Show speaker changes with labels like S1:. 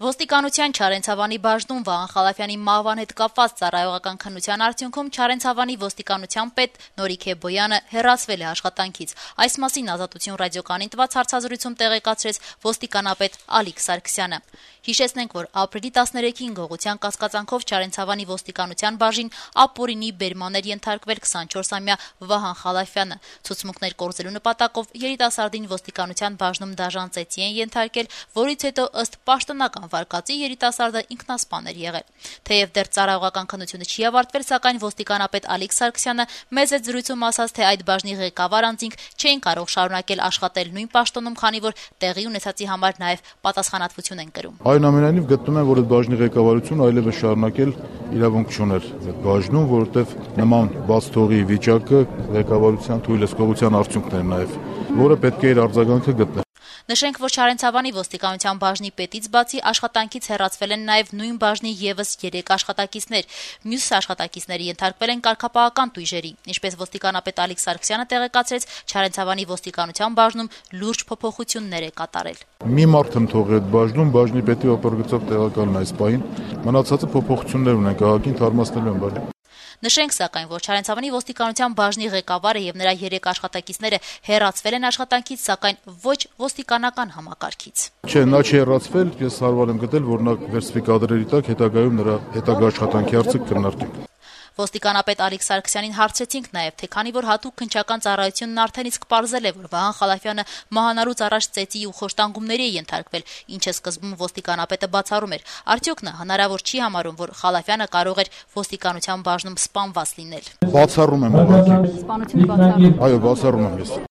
S1: Ոստիկանության Չարենցավանի բաժնում Վահան Խալափյանի մահվան հետ կապված ծառայողական քննության արդյունքում Չարենցավանի ոստիկանության պետ Նորիք Բոյանը հեռացվել է աշխատանքից։ Այս մասին Ազատություն ռադիոկայանին տված հարցազրույցում տեղեկացրեց ոստիկանապետ Ալիկ Սարգսյանը։ Հիշեցնենք, որ ապրիլի 13-ին գողության կասկածանքով Չարենցավանի ոստիկանության բաժին ապօրինի բերման էր ենթարկվել 24-ամյա Վահան Խալափյանը։ Ցուցմունքներ կորզելու նպատակով երիտասարդին ոստիկանության բաժնում դաժան ծեծի են ենթարկել, որից հետո ըստ պաշտոնական վարկածի երիտասարդը ինքնասպան էր եղել։ Թեև դեռ ծառայողական քննությունը չի ավարտվել, սակայն ոստիկանապետ Ալիկ Սարգսյանը մեծ այդ զրույցում ասաց, թե այդ բաժնի ղեկավար անձինք չէին կարող շարունակել աշխատել նույն պաշտոնում, քանի որ տեղի ունեցածի համար նաև պատասխանատվություն են կրում։
S2: Այնուամենայնիվ գտնում եմ, որ այդ բաժնի ղեկավարությունը այլևս շարունակել իրավունք չուներ այդ բաժնում, որովհետև նման բաց թողի վիճակը ղեկավարության թույլատվության արդյունքն էր նաև, որը պետք է իր արձագանքը գտներ։
S1: Նշենք, որ Չարենցավանի ոստիկանության բաժնի պետից բացի աշխատանքից հեռացվել են նաև նույն բաժնի եւս 3 աշխատակիցներ։ Մյուս աշխատակիցները ենթարկվել են կարգապահական տույժերի։ Ինչպես ոստիկանապետ Ալիկ Սարգսյանը տեղեկացրեց, Չարենցավանի ոստիկանության բաժնում լուրջ փոփոխություններ է կատարել։
S2: Մի մարդ եմ թողել այդ բաժնում, բաժնի պետի օպերգծով տեղակալն այս պահին, մնացածը փոփոխություններ ունեն, քաղաքին թարմացնելու են բաժին։
S1: Նշենք, սակայն, որ Չարենցավանի ոստիկանության բաժնի ղեկավարը եւ նրա 3 աշխատակիցները հեռացվել են աշխատանքից, սակայն ոչ ոստիկանական համակարգից։
S2: Չէ, նա չի հեռացվել, ես հարմար եմ գտել, որ նա վերցվի կադրերի տակ, հետագայում նրա հետագա աշխատանքի հարցը կքննարկենք։
S1: Ոստիկանապետ Ալիկ Սարգսյանին հարցրեցինք նաև, թե քանի որ հատուկ քննչական ծառայությունն արդեն իսկ պարզել է, որ Վահան Խալափյանը մահանալուց առաջ ծեծի ու խոշտանգումների է ենթարկվել, ինչը սկզբում ոստիկանապետը բացառում էր, արդյոք նա հնարավոր չի համարում, որ Խալափյանը կարող էր ոստիկանության բաժնում սպանված լինել։
S2: Բացառում եմ ուղղակի։
S1: Սպանություն բացառում։
S2: Այո, բացառում եմ ես։